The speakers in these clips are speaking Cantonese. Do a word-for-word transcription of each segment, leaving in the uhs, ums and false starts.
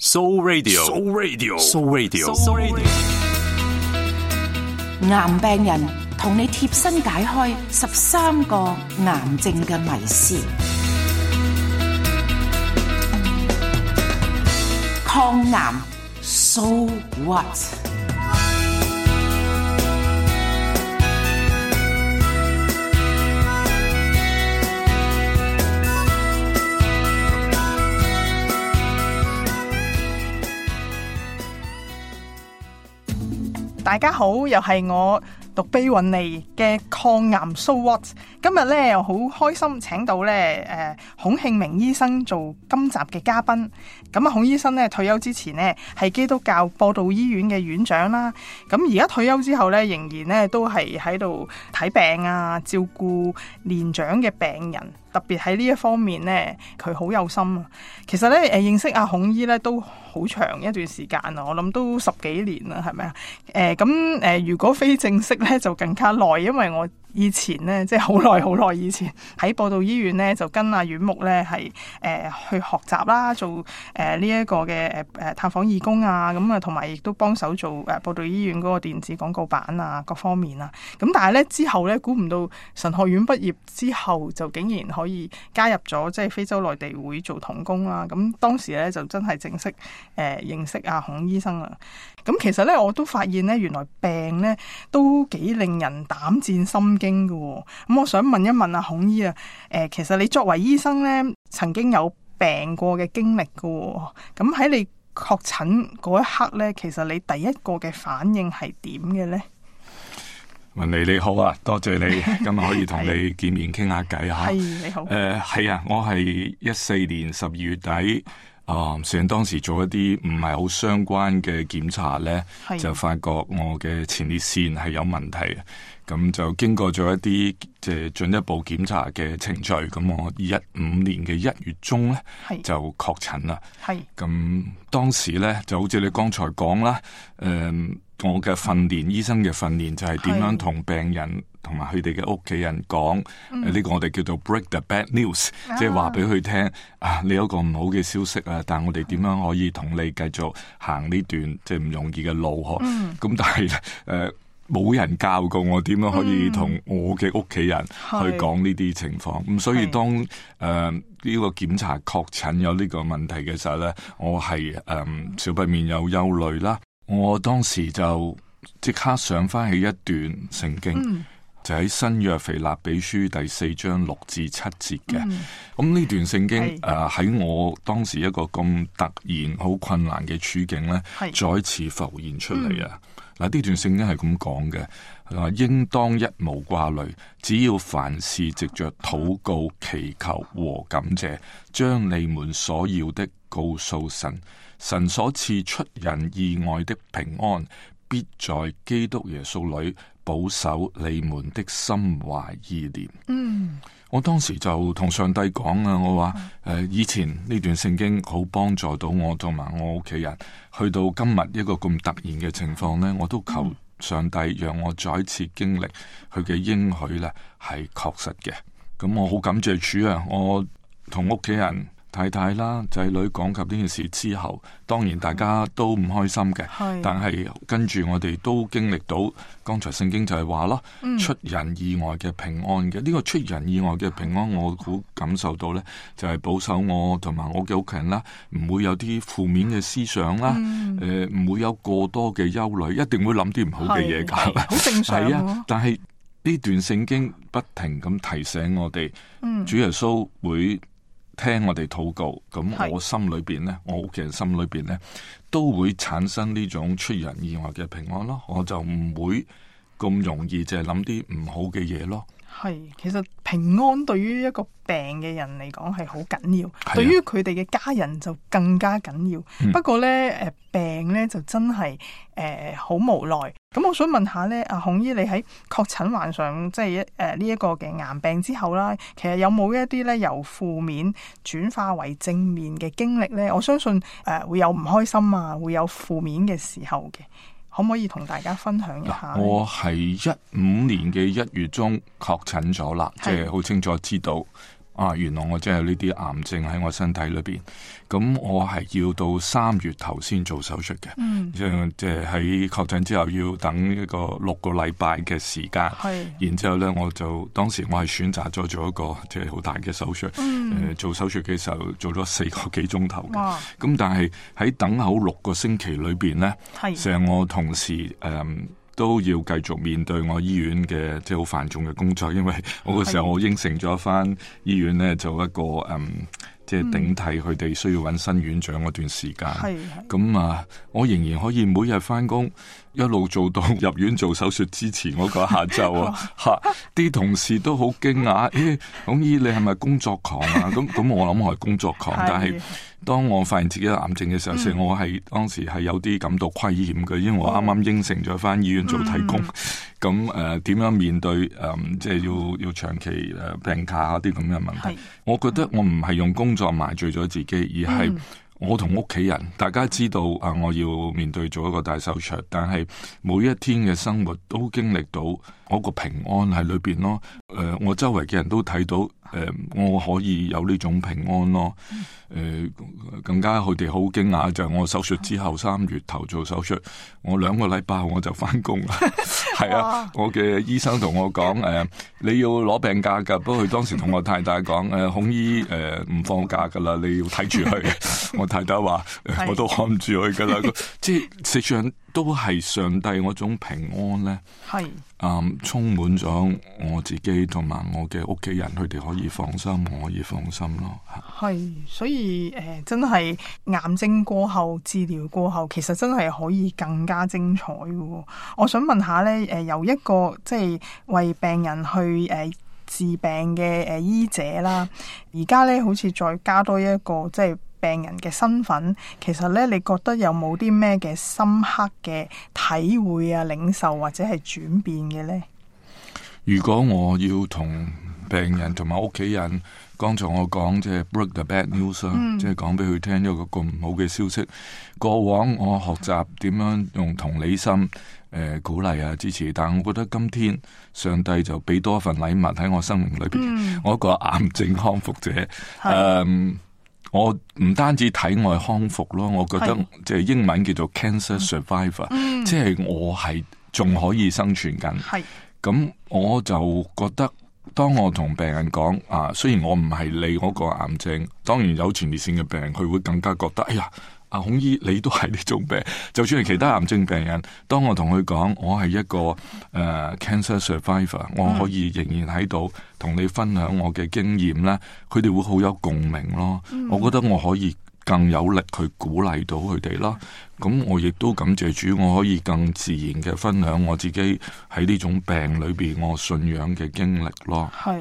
Soul Radio，Soul Radio，Soul Radio，Soul Radio。癌病人同你貼身解開十三個癌症嘅迷思。抗癌 So what？大家好，又係我獨臂雲尼嘅抗癌 So What。今日咧又好開心，請到咧誒孔慶明醫生做今集嘅嘉賓。咁啊，孔醫生咧退休之前呢係基督教播道醫院嘅院長啦。咁而家退休之後咧，仍然咧都係喺度睇病啊，照顧年長嘅病人。特別喺呢一方面咧，佢好有心啊。其實咧，誒認識阿孔醫咧都好長一段時間啊，我諗都十幾年啦，係咪啊？誒咁誒，如果非正式咧就更加耐，因為我以前咧即係好耐好耐以前喺播道醫院咧就跟阿院牧咧係誒去學習啦，做誒呢一個嘅誒誒探訪義工啊，咁啊同埋亦都幫手做誒播道醫院嗰個電子廣告版啊各方面啊。咁但係咧之後咧估唔到神學院畢業之後就竟然可以加入咗即係非洲內地會做同工啦。咁當時咧就真係正式誒、呃、認識阿孔醫生啦。咁其實咧我都發現咧原來病咧都幾令人膽戰心驚嘅。咁我想問一問阿孔醫啊，誒、呃、其實你作為醫生咧曾經有病過嘅經歷嘅。咁喺你確診嗰一刻咧，其實你第一個嘅反應係點嘅咧？雲尼你好啊，多謝你今日可以同你見面傾下偈吓。係你好。誒係啊，我係一四年十二月底啊，雖然當時做一啲唔係好相關嘅檢查咧，就發覺我嘅前列腺係有問題。咁就經過咗一啲即係進一步檢查嘅程序，咁我一五年嘅一月中咧就確診啦。係咁當時咧就好似你剛才講啦，誒、呃、我嘅訓練，醫生嘅訓練就係點樣同病人同埋佢哋嘅屋企人講，呢、嗯呃這個我哋叫做 break the bad news，、啊、即係話俾佢聽啊，你有一個唔好嘅消息啊，但係我哋點樣可以同你繼續行呢段即係唔容易嘅路嗬？咁、嗯、但係誒。呃冇人教過我點樣可以同我嘅屋企人去講呢啲情況，咁、嗯、所以當誒呢、呃這個檢查確診有呢個問題嘅時候咧，我係誒、呃、少不免有憂慮啦。我當時就即刻想翻起一段聖經，嗯、就喺新約腓立比書第四章六至七節嘅。咁呢、嗯、段聖經誒喺、呃、我當時一個咁突然好困難嘅處境咧，再次浮現出嚟啊！嗱，呢段聖經係咁講嘅，話應當一無掛慮，只要凡事藉着禱告、祈求和感謝，將你們所要的告訴神，神所賜出人意外的平安，必在基督耶穌裏保守你們的心懷意念。嗯。我當時就同上帝講啊，我話誒、呃，以前呢段聖經好幫助到我同埋我屋企人，去到今日一個咁突然嘅情況呢，我都求上帝讓我再一次經歷佢嘅應許咧，係確實嘅。咁我好感謝主啊！我同屋企人、太太啦、仔女講及呢件事之後，當然大家都唔開心嘅，但係跟住我哋都經歷到，剛才聖經就係話咯，出人意外嘅平安嘅。呢、嗯、個出人意外嘅平安，我好感受到呢，就係、是、保守我同埋我嘅屋企人啦，唔會有啲負面嘅思想啦，誒唔、嗯呃、會有過多嘅憂慮，一定會諗啲唔好嘅嘢噶，好正常。係啊，但係呢段聖經不停咁提醒我哋，嗯、主耶穌會聽我哋禱告，咁我心裏邊咧，我屋企人心裏邊咧，都會產生呢種出人意外嘅平安咯。我就唔會咁容易就係諗啲唔好嘅嘢咯。係，其實平安對於一個病嘅人嚟講係好緊要，對於佢哋嘅家人就更加緊要。嗯、不過咧，誒病咧就真係誒好無奈。咁我想問下咧，阿孔醫，你喺確診患上即係一誒呢一個嘅癌病之後啦，其實有冇一啲咧由負面轉化為正面嘅經歷咧？我相信誒、呃、會有唔開心啊，會有負面嘅時候嘅。可唔可以同大家分享一下？我係一五年嘅一月中確診咗啦，即係好清楚知道啊，原來我真係有呢啲癌症喺我身體裏邊，咁我係要到三月頭先做手術嘅，嗯、即係即係喺確診之後要等一個六個禮拜嘅時間，係然之後咧我就當時我係選擇咗做一個即係好大嘅手術，誒、嗯呃、做手術嘅時候做咗四個幾鐘頭嘅，哇咁但係喺等候六個星期裏邊咧，成我同事誒。嗯都要繼續面對我醫院嘅即係好繁重嘅工作，因為我嗰時候我應承咗返醫院咧做一個嗯即係頂替佢哋需要揾新院長嗰段時間。咁啊，我仍然可以每日返工，一路做到入院做手術之前嗰個下晝啊！嚇，啲同事都好驚訝，誒，孔醫你係咪工作狂啊？咁咁我諗我係工作狂，但係當我發現自己有癌症嘅時候，嗯、我係當時係有啲感到虧欠嘅，因為我啱啱應承咗返醫院做替工，咁誒點樣面對誒、呃、即係要要長期誒病假啲咁嘅問題？我覺得我唔係用工作麻醉咗自己，而係我同屋企人，大家知道啊，我要面對做一個大手術，但係每一天嘅生活都經歷到我個平安喺裏邊咯。誒、呃，我周圍嘅人都睇到，誒、呃，我可以有呢種平安咯。誒、呃，更加佢哋好驚訝就係、是、我手術之後三月頭做手術，我兩個禮拜後我就翻工啦。係啊，我嘅醫生同我講，誒、呃，你要攞病假噶，不過佢當時同我太太講，誒、呃，孔醫誒唔放假噶啦，你要睇住佢。我太太話，我都看唔住佢噶啦。即係實際上都係上帝嗰種平安咧，係啊、嗯，充滿咗我自己同埋我嘅屋企人，佢哋可以放心，我可以放心咯。係，所以誒、呃，真係癌症過後治療過後，其實真係可以更加精彩嘅。我想問下咧，誒、呃，由一個即係為病人去誒、呃、治病嘅誒醫者啦，而家咧好似再加多一個即係病人嘅身份，其實咧，你覺得有冇啲咩嘅深刻嘅體會啊、領受或者係轉變嘅咧？如果我要同病人同埋屋企人，剛才我講即係 break the bad news 啊、嗯，即係講俾佢聽一個咁唔好嘅消息。過往我學習點樣用同理心誒、呃、鼓勵啊支持，但係我覺得今天上帝就俾多一份禮物喺我生命裏邊。嗯、我一個癌症康復者，誒。我唔單止體外康復咯，我覺得即係英文叫做 cancer survivor，、嗯、即係我係仲可以生存緊。係咁，我就覺得當我同病人講啊，雖然我唔係你嗰個癌症，當然有前列腺嘅病人，佢會更加覺得，哎呀，阿孔醫你都係呢種病。就算係其他癌症病人，當我同佢講我係一個誒、uh, cancer survivor，、嗯、我可以仍然喺度同你分享我嘅經驗咧，佢哋會好有共鳴咯。嗯、我覺得我可以更有力去鼓勵到佢哋啦。咁我亦都感謝主，我可以更自然嘅分享我自己喺呢種病裏邊我信仰嘅經歷咯。係。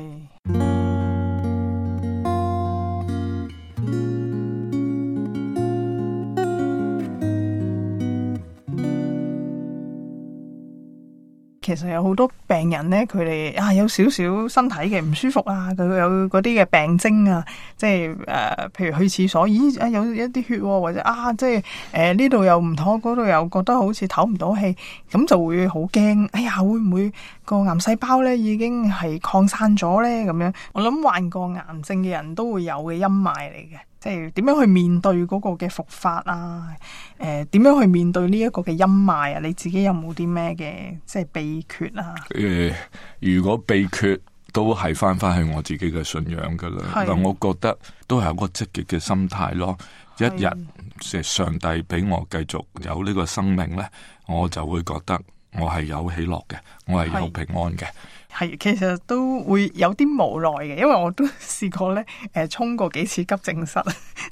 其實有好多病人咧，佢哋啊有少少身體嘅唔舒服啊，佢有嗰啲嘅病徵啊，即係誒、呃，譬如去廁所，咦啊有一啲血、啊，或者啊即係誒呢度又唔妥，嗰度又覺得好似唞唔到氣，咁就會好驚。哎呀，會唔會個癌細胞咧已經係擴散咗咧？咁樣，我諗患過癌症嘅人都會有嘅陰霾嚟嘅。即係點樣去面對嗰個嘅復發啊？誒、呃，點樣去面對呢一個嘅陰霾啊？你自己有冇啲咩嘅即係秘訣啊？誒、呃，如果秘訣都係翻翻去我自己嘅信仰噶啦，但我覺得都係一個積極嘅心態咯。一日即係上帝俾我繼續有呢個生命咧，我就會覺得我係有喜樂嘅，我係有平安嘅。係，其實都會有啲無奈嘅，因為我都試過咧，誒、呃，衝過幾次急症室，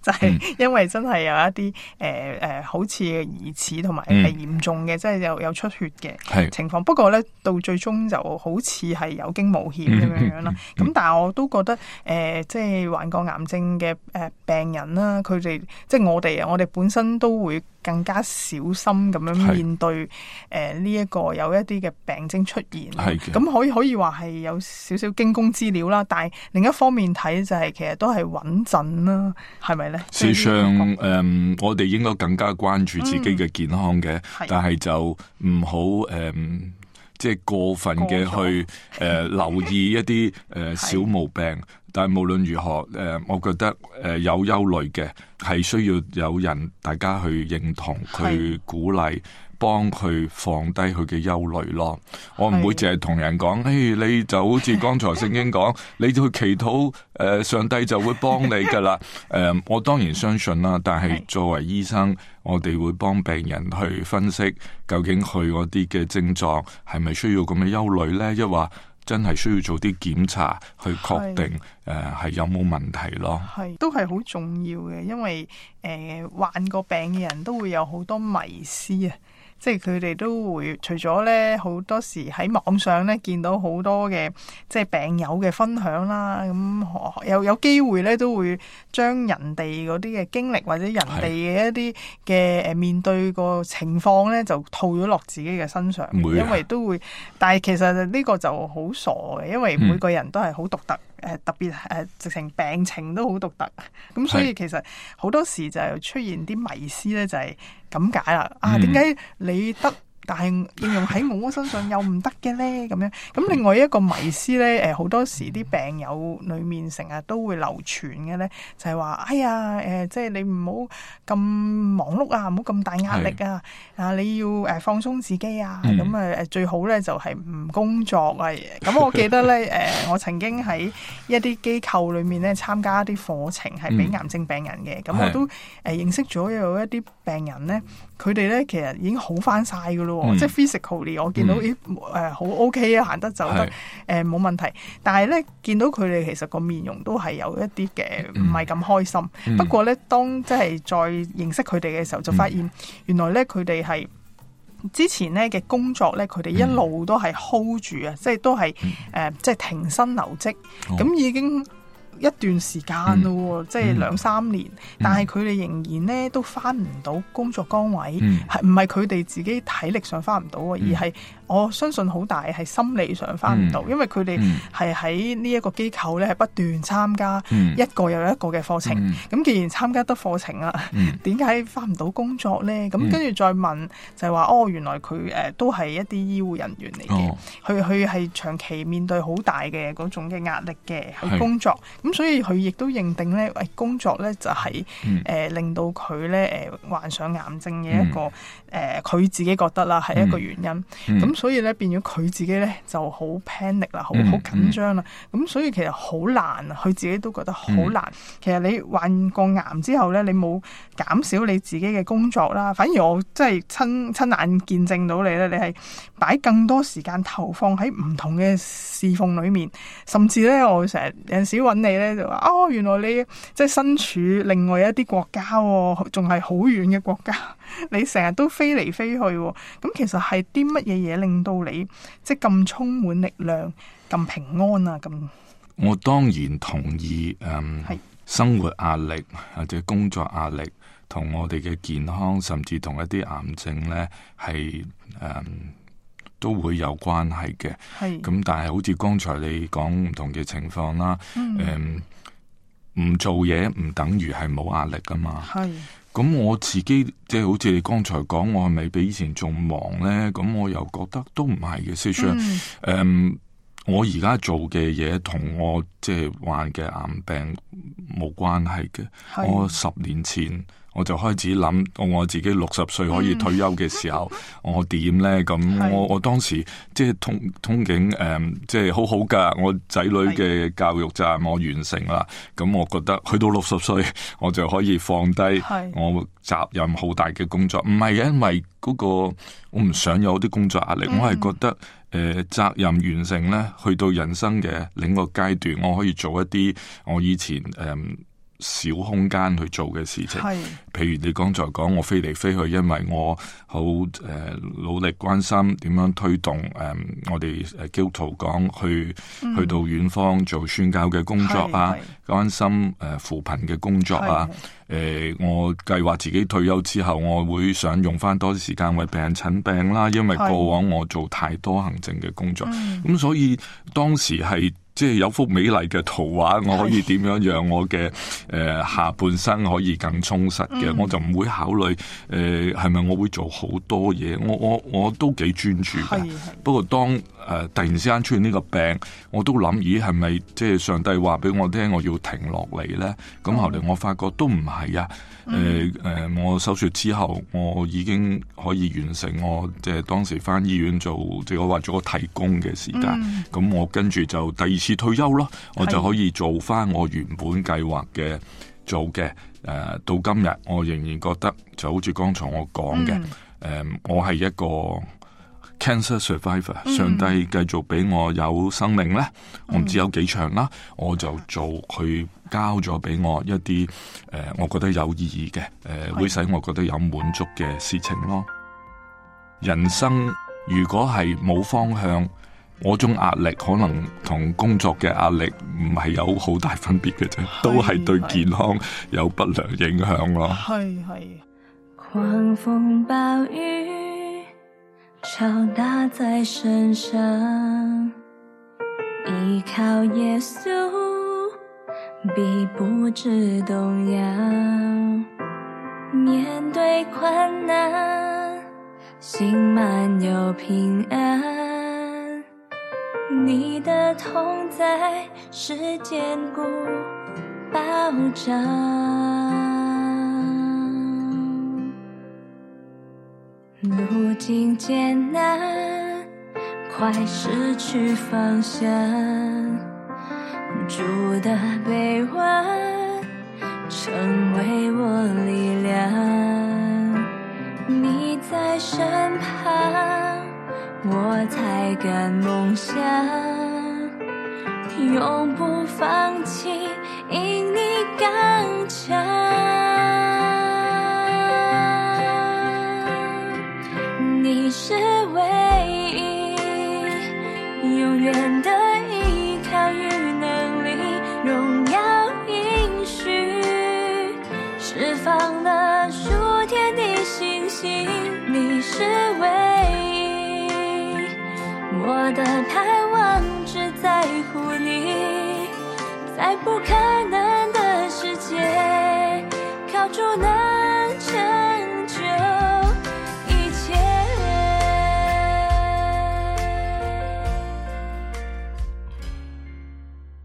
就係、是、因為真係有一啲誒誒，好似疑似同埋係嚴重嘅，嗯、即係有有出血嘅情況。是不過咧，到最終就好似係有驚無險咁樣樣啦。咁、嗯嗯、但係我都覺得，誒、呃，即係患過癌症嘅誒病人啦，佢哋即係我哋啊，我哋本身都會更加小心咁樣面對誒呢一個有一啲嘅病徵出現。咁的可以可以。可以話係有少少驚弓之鳥啦，但係另一方面睇就係其實都係穩陣啦，係咪咧？事實上，誒、嗯，我哋應該更加關注自己嘅健康嘅，嗯、但係就唔好誒，即係過分嘅去誒、呃、留意一啲誒、呃、小毛病。但係無論如何，誒、呃，我覺得誒、呃、有憂慮嘅係需要有人大家去認同、去鼓勵。幫佢放低佢嘅憂慮咯，我唔會淨係同人講，誒，你就好似剛才聖經講，你去祈禱，誒、呃，上帝就會幫你噶啦。誒、呃，我當然相信啦，但係作為醫生，我哋會幫病人去分析究竟佢嗰啲嘅症狀係咪需要咁嘅憂慮咧，抑或真係需要做啲檢查去確定誒係、呃、有冇問題咯。係都係好重要嘅，因為誒、呃、患過病嘅人都會有好多迷思啊。即係佢哋都會除咗咧，好多時喺網上咧見到好多嘅即係病友嘅分享啦，咁有有機會咧都會將人哋嗰啲嘅經歷或者人哋嘅一啲嘅誒面對個情況咧就套咗落自己嘅身上，因為都會，但係其實呢個就好傻嘅，因為每個人都係好獨特。嗯誒特別誒直情病情都好獨特，咁所以其實好多時就出現啲迷思咧，就係咁解啦。啊，點解你得？但係應用喺我身上又唔得嘅咧，咁樣。咁另外一個迷思咧，誒好多時啲病友裏面成日都會流傳嘅咧，就係話：哎呀，誒即係你唔好咁忙碌啊，唔好咁大壓力啊，啊你要誒放鬆自己啊，咁誒誒最好咧就係唔工作啊。咁我記得咧，誒我曾經喺一啲機構裏面咧參加一啲課程，係俾癌症病人嘅。咁我都誒認識咗有一啲病人咧，佢哋咧其實已經好翻晒噶咯。嗯、即係 physically 我見到咦誒好 OK 啊，行得走得誒冇問題，但係咧見到佢哋其實個面容都係有一啲嘅唔係咁開心。嗯、不過咧當即係再認識佢哋嘅時候，就發現原來咧佢哋係之前咧嘅工作咧，佢哋一路都係 hold 住啊，即係都係誒即係停薪留職，咁、哦、已經一段時間咯，嗯、即係兩三年，嗯、但係佢哋仍然咧都翻唔到工作崗位，係唔係佢哋自己體力上翻唔到，嗯、而係我相信好大係心理上翻唔到，嗯、因為佢哋係喺呢一個機構咧係不斷參加一個又一個嘅課程，咁、嗯、既然參加得課程啦，點解翻唔到工作咧？咁跟住再問就係話哦，原來佢誒、呃、都係一啲醫護人員嚟嘅，佢佢係長期面對好大嘅嗰種嘅壓力嘅去工作。咁所以佢亦都認定咧，誒工作咧就係、是、誒、嗯呃、令到佢咧誒患上癌症嘅一個誒，佢、嗯呃、自己覺得啦係一個原因。咁、嗯嗯、所以咧變咗佢自己咧就好 panic 啦，好好緊張啦。咁、嗯、所以其實好難啊，佢自己都覺得好難。嗯、其實你患過癌之後咧，你冇減少你自己嘅工作啦，反而我真係親親眼見證到你咧，你係擺更多時間投放喺唔同嘅侍奉裏面，甚至咧我成日有陣時揾你咧就話哦，原來你即係身處另外一啲國家，仲係好遠嘅國家，你成日都飛嚟飛去，咁其實係啲乜嘢嘢令到你即係咁充滿力量、咁平安啊？咁我當然同意，誒、嗯，係生活壓力或者工作壓力同我哋嘅健康，甚至同一啲癌症咧係誒。嗯都會有關係嘅，咁但係好似剛才你講唔同嘅情況啦，誒唔、嗯嗯、做嘢唔等於係冇壓力噶嘛，咁我自己即係好似你剛才講，我係咪比以前仲忙咧？咁我又覺得都唔係嘅，事實上，誒、嗯、我而家做嘅嘢同我即係患嘅癌病冇關係嘅，我十年前。我就開始諗，我我自己六十歲可以退休嘅時候，嗯、我點咧？咁我我當時即係通通警誒、呃，即係好好噶。我仔女嘅教育責任我完成啦。咁我覺得去到六十歲，我就可以放低我責任好大嘅工作。唔係因為嗰、那個我唔想有啲工作壓力，嗯、我係覺得誒、呃、責任完成咧，去到人生嘅另一個階段，我可以做一啲我以前誒。呃小空間去做嘅事情，譬如你剛才講我飛嚟飛去，因為我好誒、呃、努力關心點樣推動誒、呃、我哋誒基督徒講去、嗯、去到遠方做宣教嘅工作啊，關心誒、呃、扶貧嘅工作啊，誒、呃、我計劃自己退休之後，我會想用翻多啲時間為病人診病啦，因為過往我做太多行政嘅工作，咁、嗯、所以當時係。即係有幅美麗嘅圖畫，我可以點樣讓我嘅誒、呃、下半生可以更充實嘅？嗯、我就唔會考慮誒係咪我會做好多嘢。我我我都幾專注嘅。不過當呃、突然之間出現呢個病，我都諗咦係咪即係上帝話俾我聽我要停落嚟咧？咁、嗯、後嚟我發覺都唔係啊。誒、嗯、誒、呃，我手術之後，我已經可以完成我即係當時返醫院做即係我話咗個替工嘅時間。咁、嗯、我跟住就第二次退休咯，我就可以做返我原本計劃嘅做嘅。誒、呃、到今日，我仍然覺得就好似剛才我講嘅，誒、嗯呃、我係一個 cancer survivor，、嗯、上帝繼續俾我有生命咧，我唔知有幾長啦，我就做佢交咗俾我一啲誒、呃，我覺得有意義嘅誒、呃，會使我覺得有滿足嘅事情咯。人生如果係冇方向，我種壓力可能同工作嘅壓力唔係有好大分別嘅啫，都係對健康有不良影響咯。係係。狂風暴雨敲打在身上，依靠耶穌必不致動搖，面對困難心滿有平安，你的同在是堅固保障。路徑艱難，快失去方向，主的臂彎成為我力量，你在身旁，我才敢夢想，永不放棄，因你剛強。你是唯一，永遠的依靠與能力，榮耀應許，釋放了屬天的信心。你是唯一，我的盼望只在乎你，在不可能的世界，靠主能成就一切。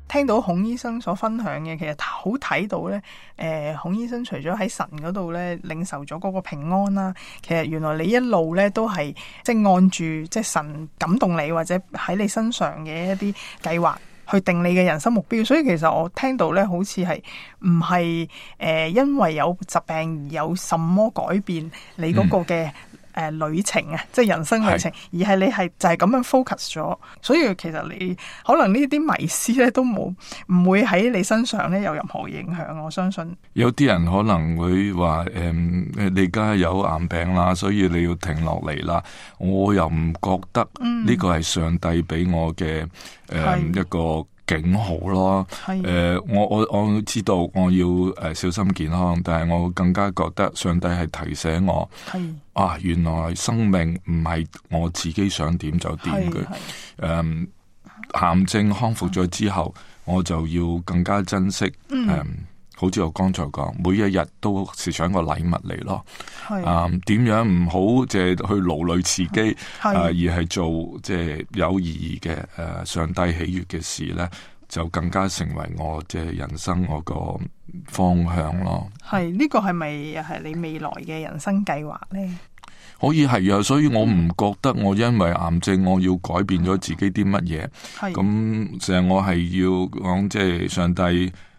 聽到孔醫生所分享嘅，其實好睇到咧，誒、呃，孔醫生除咗喺神嗰度咧領受咗嗰個平安啦，其實原來你一路咧都係即係按住即係神感動你或者喺你身上嘅一啲計劃去定你嘅人生目標，所以其實我聽到咧好似係唔係誒因為有疾病而有什麼改變你嗰個嘅、嗯。誒、呃，旅程啊，即係人生旅程，而係你係就係咁樣 focus 咗，所以其實你可能呢啲迷思咧都冇唔會喺你身上咧有任何影響。我相信有啲人可能會話誒、嗯，你而家有癌病啦，所以你要停落嚟啦。我又唔覺得呢個係上帝俾我嘅誒、嗯、一個警號咯。誒、呃，我我我知道我要誒、呃、小心健康，但係我更加覺得上帝係提醒我，係啊，原來生命唔係我自己想點就點嘅。誒、嗯，癌症康復咗之後，我就要更加珍惜。誒、嗯嗯，好似我剛才講，每一日都是想個禮物嚟咯。啊，點、嗯、樣唔好即係去勞累自己，啊、呃，而係做即係有意義嘅誒、呃、上帝喜悅嘅事咧，就更加成為我即係人生我個方向咯。係呢、這個係咪又係你未來嘅人生計劃咧？可以係啊，所以我唔覺得我因為癌症我要改變咗自己啲乜嘢。係咁成日我係要講即係上帝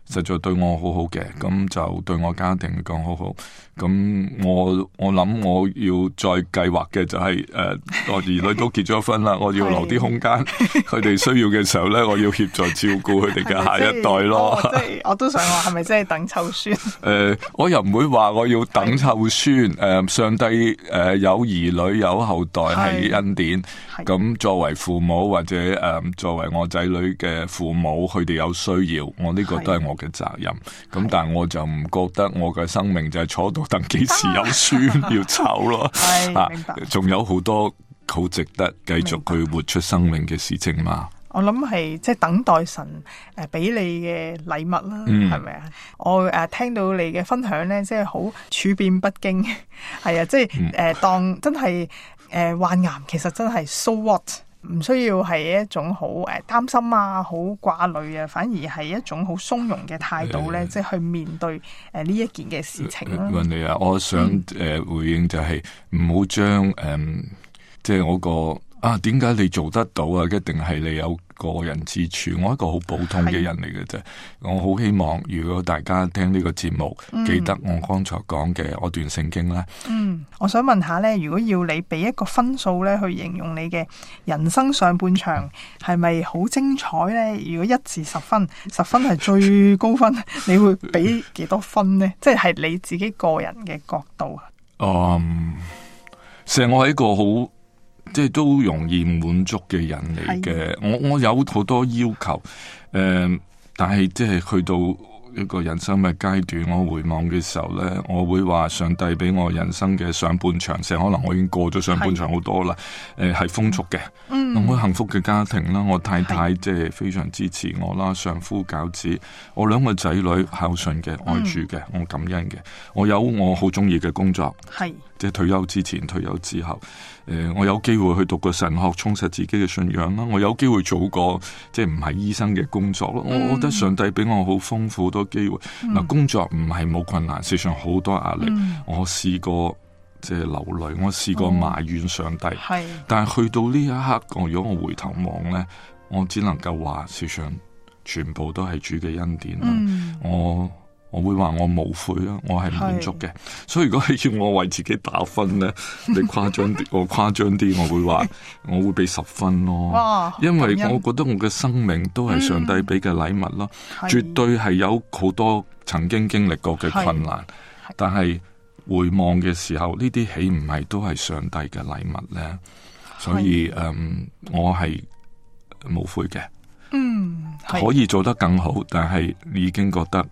實在對我好好嘅，咁就對我家庭嚟講好好。咁我我諗我要再計劃嘅就係、是、誒、呃，我兒女都結咗婚啦，我要留啲空間，佢哋需要嘅時候咧，我要協助照顧佢哋嘅下一代咯。即係我都想話，係咪真係等湊孫？誒、呃，我又唔會話我要等湊孫。誒、呃，上帝誒、呃、有兒女有後代係恩典。咁作為父母或者誒、呃、作為我仔女嘅父母，佢哋有需要，我呢個都係我嘅責任。咁但係我就唔覺得我嘅生命就係坐到等幾時有孫要湊咯。啊，仲有好多好值得繼續去活出生命嘅事情嘛。我諗係即係等待神誒俾你嘅禮物啦，係咪啊？我誒、呃、聽到你嘅分享咧，即係好處變不驚，係啊，即係誒、呃、當真係誒、呃、患癌，其實真係 so what。唔需要係一種好誒擔心啊、好掛慮啊，反而係一種好鬆容嘅態度咧，呃、即係去面對誒呢一件嘅事情啦。雲妮啊，我想誒、嗯呃、回應就係唔好將誒即係我個。啊，點解你做得到啊？一定係你有個人之處。我係一個好普通嘅人嚟嘅啫。我好希望，如果大家聽呢個節目，嗯、記得我剛才講嘅我段聖經咧。嗯，我想問下咧，如果要你俾一個分數咧，去形容你嘅人生上半場係咪好精彩咧？如果一至十分，十分係最高分，你會俾幾多分呢？即係你自己個人嘅角度啊。嗯，成日我係一個好。即係都容易滿足嘅人嚟嘅，我我有好多要求，誒、呃，但係即係去到一個人生嘅階段，我回望嘅時候咧，我會話上帝俾我人生嘅上半場，成可能我已經過咗上半場好多啦，誒係、呃、豐足嘅，嗯，我幸福嘅家庭啦，我太太即係非常支持我啦，丈夫餃子，我兩個仔女孝順嘅，愛主嘅，嗯、我感恩嘅，我有我好中意嘅工作，係。即係退休之前、退休之後，誒、呃，我有機會去讀個神學，充實自己嘅信仰啦。我有機會做個即係唔係醫生嘅工作咯。嗯、我覺得上帝俾我好豐富好多機會。嗱、嗯，工作唔係冇困難，事實上好多壓力。嗯、我試過即係流淚，我試過埋怨上帝。係、嗯，但係去到呢一刻，我如果我回頭望咧，我只能夠話，事實上全部都係主嘅恩典啦。嗯、我。我會話我無悔啊，我係滿足嘅。是所以如果係要我為自己打分咧，你誇張啲，我誇張啲，我會話我會俾十分咯。哇！因為我覺得我嘅生命都係上帝俾嘅禮物咯，嗯、絕對係有好多曾經經歷過嘅困難，是但係回望嘅時候，呢啲豈唔係都係上帝嘅禮物咧？所以誒是、嗯，我係無悔嘅。嗯，可以做得更好，但係已經覺得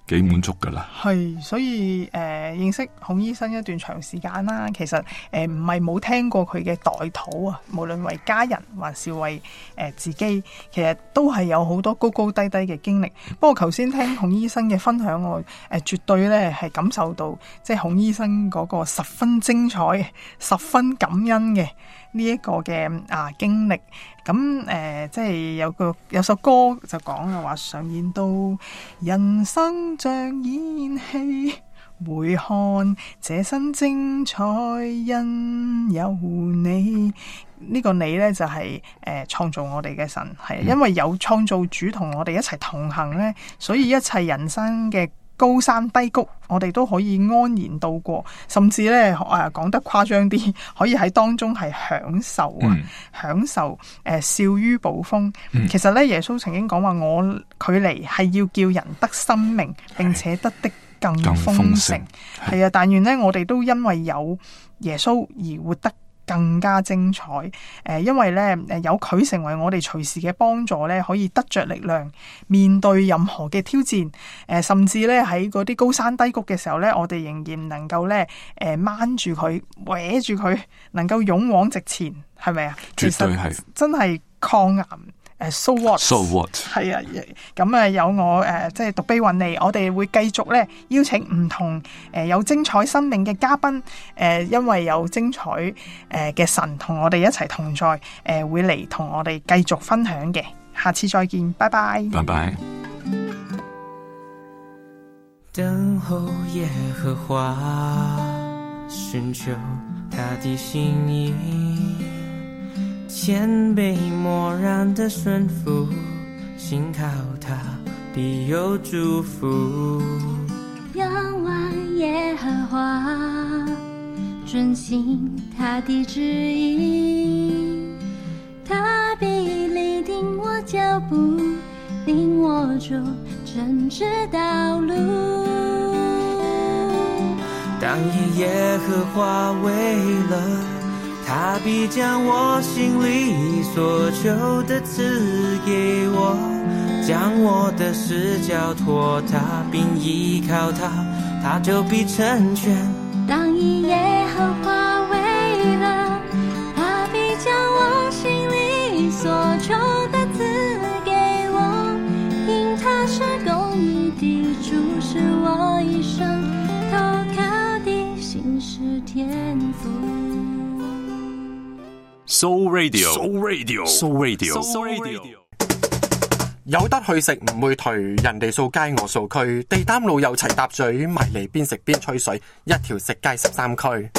幾滿足噶啦，係所以誒、呃、認識孔醫生一段長時間啦，其實誒唔係冇聽過佢嘅代禱啊，無論為家人還是為誒、呃、自己，其實都係有好多高高低低嘅經歷。不過頭先聽孔醫生嘅分享，我誒、呃、絕對咧係感受到，即係孔醫生嗰個十分精彩、十分感恩嘅呢一個嘅啊經歷。咁誒、呃，即係有個有首歌就講嘅話，常言道人生像演戲，回看這身精彩，因有你。呢、這個你呢，就係誒創造我哋嘅神，係因為有創造主同我哋一齊同行呢，所以一切人生嘅高山低谷，我哋都可以安然度過，甚至咧誒講得誇張啲，可以喺當中係享受啊，嗯、享受誒笑於暴風。嗯、其實咧，耶穌曾經講話，我佢嚟係要叫人得生命，並且得的更豐盛。係啊，但願咧，我哋都因為有耶穌而活得更加精彩，誒、呃，因為咧，誒，有佢成為我哋隨時嘅幫助咧，可以得着力量，面對任何嘅挑戰，誒、呃，甚至咧喺嗰啲高山低谷嘅時候咧，我哋仍然能夠咧，誒、呃，掹住佢，搲住佢，能夠勇往直前，係咪啊？絕對係，真係抗癌。誒 so what？So what？係啊，咁啊有我誒，即係獨臂雲尼，我哋會繼續咧邀請唔同誒有精彩生命嘅嘉賓，誒因為有精彩誒嘅神同我哋一齊同在，誒會嚟同我哋繼續分享嘅。下次再見，拜拜。拜拜。等候耶和華，尋求他的心意，謙卑默然的順服，信靠他必有祝福。仰望耶和華，遵行他的旨意，他必立定我腳步，領我走正直道路。當以耶和華為樂，他必將我心裡所求的賜給我，將我的事交託他，並依靠他，他就必成全。當以耶和華為樂，他必將我心裡所求的賜給我，因他是公義的主，是我一生投靠的心是天父。Soul Radio，Soul Radio，Soul Radio，Soul Radio。有得去食唔會頹，人哋掃街我掃區，地攤路又齊搭嘴，埋嚟邊食邊吹水，一條食街十三區。